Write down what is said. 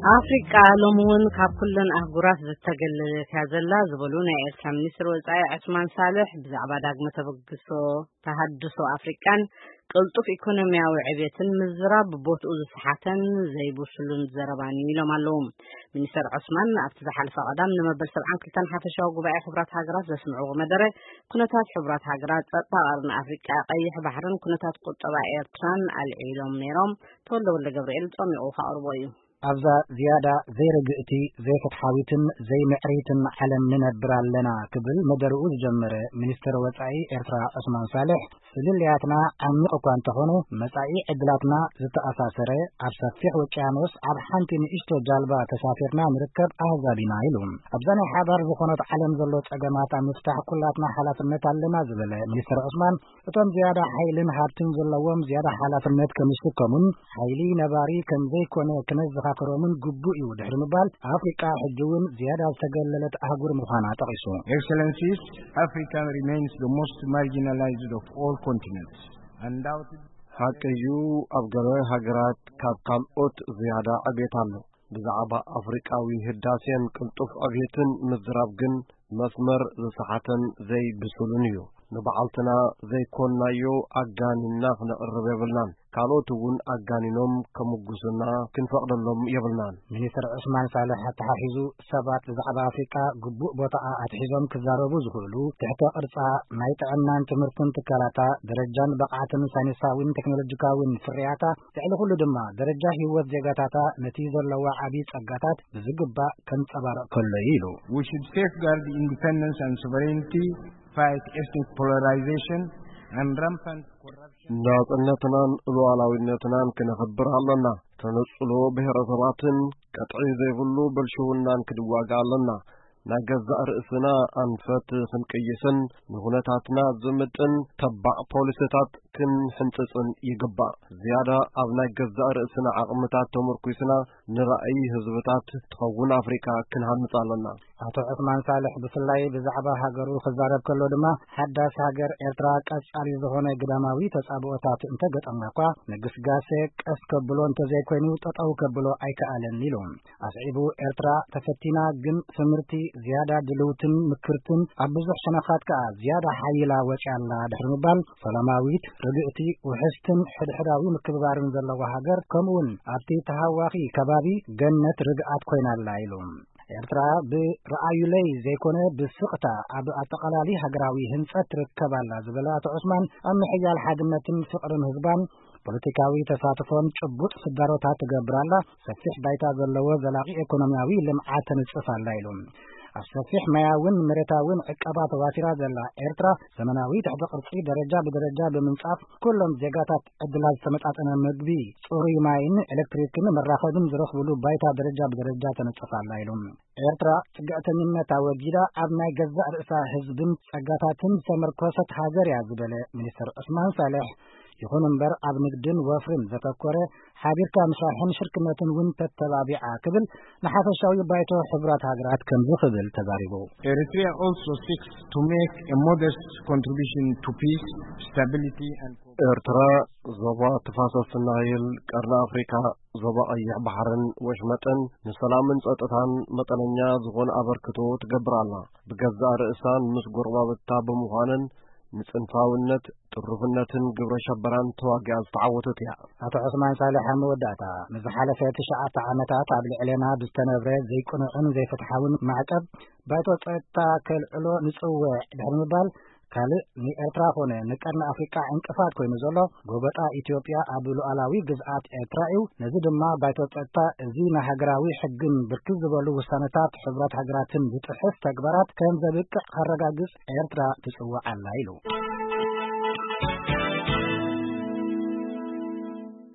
ኣፍሪቃ ሎሚ እውን ካብ ኩለን ኣህጉራት ዝተገለለት እያ ዘላ ዝበሉ ናይ ኤርትራ ሚኒስትር ወጻኢ ዑስማን ሳልሕ፣ ብዛዕባ ዳግመ ተበግሶ ተሃድሶ ኣፍሪቃን ቅልጡፍ ኢኮኖሚያዊ ዕብየትን ምዝራብ ቦትኡ ዝሰሓተን ዘይብሱልን ዘረባን እዩ ኢሎም ኣለዉ። ሚኒስተር ዑስማን ኣብቲ ዝሓለፈ ቀዳም ንመበል ሰብዓን ክልተን ሓፈሻዊ ጉባኤ ሕቡራት ሃገራት ዘስምዕዎ መደረ፣ ኩነታት ሕቡራት ሃገራት፣ ጸጥታ ቀርኒ ኣፍሪቃ፣ ቀይሕ ባሕርን ኩነታት ቁጠባ ኤርትራን ኣልዒሎም ነይሮም። ተወልደ ወልደ ገብርኤል ጸሚቑ ከቕርቦ እዩ። ኣብዛ ዝያዳ ዘይርግእቲ፣ ዘይፍትሓዊትን ዘይምዕሪትን ዓለም ንነብር ኣለና ክብል መደርኡ ዝጀመረ ሚኒስትር ወጻኢ ኤርትራ ዑስማን ሳልሕ፣ ፍልልያትና ዓሚቕ እኳ እንተኾነ፣ መጻኢ ዕድላትና ዝተኣሳሰረ፣ ኣብ ሰፊሕ ውቅያኖስ ኣብ ሓንቲ ንእሽቶ ጃልባ ተሳፊርና ንርከብ ኣህዛብ ኢና ኢሉ። ኣብዛ ናይ ሓባር ዝኾነት ዓለም ዘሎ ጸገማት ኣብ ምፍታሕ ኩላትና ሓላፍነት ኣለና ዝበለ ሚኒስትር ዑስማን፣ እቶም ዝያዳ ሓይልን ሃብትን ዘለዎም ዝያዳ ሓላፍነት ከም ዝስከሙን ሓይሊ ነባሪ ከም ዘይኮነ ክነዘኻኽሮምን ግቡእ እዩ ድሕሪ ምባል፣ ኣፍሪቃ ሕጂ እውን ዝያዳ ዝተገለለት ኣህጉር ምዃና ጠቒሱ። Excellencies, Africa remains the most marginalized of all continents. Undoubtedly, ሓቂ እዩ፣ ኣብ ገለ ሃገራት ካብ ካልኦት ዝያዳ ዕብየት ኣሎ። ብዛዕባ ኣፍሪቃዊ ህዳሴን ቅልጡፍ ዕብየትን ምዝራብ ግን መስመር ዝሰሓተን ዘይብሱልን እዩ። ንባዕልትና ዘይኮንናዮ ኣጋኒንና ክነቕርብ የብልናን። ካልኦት እውን ኣጋኒኖም ከሙጉሱና ክንፈቕደሎም የብልናን። ሚኒስትር ዑስማን ሳልሕ ኣተሓሒዙ፣ ሰባት ብዛዕባ ኣፍሪቃ ግቡእ ቦታኣ ኣትሒዞም ክዛረቡ ዝኽእሉ፣ ትሕተ ቅርጻ፣ ናይ ጥዕናን ትምህርትን ትካላታ፣ ደረጃን ብቕዓትን ሳይንሳዊን ቴክኖሎጂካዊን ፍርያታ፣ ልዕሊ ኩሉ ድማ ደረጃ ህይወት ዜጋታታ ነቲ ዘለዋ ዓቢ ጸጋታት ብዝግባእ ከንጸባርቕ ከሎ እዩ ኢሉ። We should safeguard the independence and sovereignty, fight ethnic polarization and rampant corruption. ናጽነትናን ሉዓላዊነትናን ክነኽብር ኣለና። ተነጽሎ ብሔረሰባትን ቀጥዒ ዘይብሉ ብልሽውናን ክንዋጋእ ኣለና። ናይ ገዛእ ርእስና ኣንፈት ክንቅይስን ንኹነታትና ዝምጥን ተባዕ ፖሊሲታት ክንሕንጽጽን ይግባእ። ዝያዳ ኣብ ናይ ገዛእ ርእስና ዓቕምታት ተመርኲስና ንራእይ ህዝብታት ትኸውን ኣፍሪቃ ክንሃንጽ ኣለና። ኣቶ ዑስማን ሳልሕ ብፍላይ ብዛዕባ ሃገሩ ክዛረብ ከሎ ድማ፣ ሓዳስ ሃገር ኤርትራ ቀጻሊ ዝኾነ ግዳማዊ ተጻብኦታት እንተገጠማ እኳ፣ ንግስጋሴ ቀስ ከብሎ እንተዘይኮይኑ ጠጠው ከብሎ ኣይከኣለን ኢሉ። ኣስዒቡ፣ ኤርትራ ተፈቲና፣ ግን ትምህርቲ ዝያዳ ድልውትን ምክርትን፣ ኣብ ብዙሕ ሸነኻት ከኣ ዝያዳ ሓይላ ወጺኣ ኣላ ድሕሪ ምባል፣ ሰላማዊት፣ ርግእቲ፣ ውሕስትን ሕድሕዳዊ ምክብባርን ዘለዋ ሃገር፣ ከምኡውን ኣብቲ ተሃዋኺ ከባቢ ገነት ርግኣት ኮይና ኣላ ኢሉ። ኤርትራ ብረኣዩለይ ዘይኮነ ብስቕታ ኣብ ኣጠቓላሊ ሃገራዊ ህንጸት ትርከብ ኣላ ዝበለ ኣቶ ዑስማን፣ ኣብ ምሕያል ሓድነትን ፍቕርን ህዝባን ፖለቲካዊ ተሳትፎን ጭቡጥ ስዳሮታት ትገብር ኣላ። ሰፊሕ ባይታ ዘለዎ ዘላቒ ኢኮኖሚያዊ ልምዓት ተንጽፍ ኣላ ኢሉ። ኣብ ሰፊሕ ማያውን መሬታውን ዕቀባ ተዋፊራ ዘላ ኤርትራ፣ ዘመናዊ ትሕተ ቅርጺ ደረጃ ብደረጃ ብምንጻፍ፣ ኩሎም ዜጋታት ዕድላት ዝተመጣጠነ ምግቢ፣ ጽሩይ ማይን ኤሌክትሪክን መራኸብን ዝረኽብሉ ባይታ ደረጃ ብደረጃ ተነጽፍ ኣላ ኢሉ። ኤርትራ ጽግዕተኝነት ኣወጊዳ ኣብ ናይ ገዛእ ርእሳ ህዝብን ጸጋታትን ዝተመርኮሰት ሃገር እያ ዝበለ ሚኒስትር ዑስማን ሳልሕ፣ ይኹን እምበር ኣብ ንግድን ወፍርን ዘተኮረ ሓቢርካ ምስራሕን ሽርክነትን እውን ተተባቢዓ ክብል ንሓፈሻዊ ባይቶ ሕቡራት ሃገራት ከምዚ ክብል ተዛሪቡ። Eritrea also seeks to make a modest contribution to peace, stability and ኤርትራ ዞባ ተፋሰስ ናይል፣ ቀርኒ ኣፍሪካ፣ ዞባ ቀይሕ ባሕርን ወሽመጥን ንሰላምን ጸጥታን መጠነኛ ዝኾነ ኣበርክቶ ትገብር ኣላ። ብገዛእ ርእሳን ምስ ጎረባብታ ብምዃንን ንጽንፋውነት፣ ጥሩፍነትን ግብረ ሸበራን ተዋጊኣ ዝተዓወተት እያ። ኣቶ ዑስማን ሳልሕ ኣብ መወዳእታ፣ ንዝሓለፈ ትሽዓተ ዓመታት ኣብ ልዕሌና ብዝተነብረ ዘይቅኑዕን ዘይፍትሓውን ማዕቀብ ባይቶ ጸጥታ ከልዕሎ ንጽውዕ ድሕሪ ምባል፣ ካልእ ንኤርትራ ኮነ ንቀርኒ ኣፍሪቃ ዕንቅፋት ኮይኑ ዘሎ ጎበጣ ኢትዮጵያ ኣብ ሉዓላዊ ግዝኣት ኤርትራ እዩ። ነዚ ድማ ባይቶ ጸጥታ እዚ ንሃገራዊ ሕግን ብርክት ዝበሉ ውሳነታት ሕቡራት ሃገራትን ዝጥሕስ ተግባራት ከም ዘብቅዕ ከረጋግጽ ኤርትራ ትጽውዕ ኣላ ኢሉ።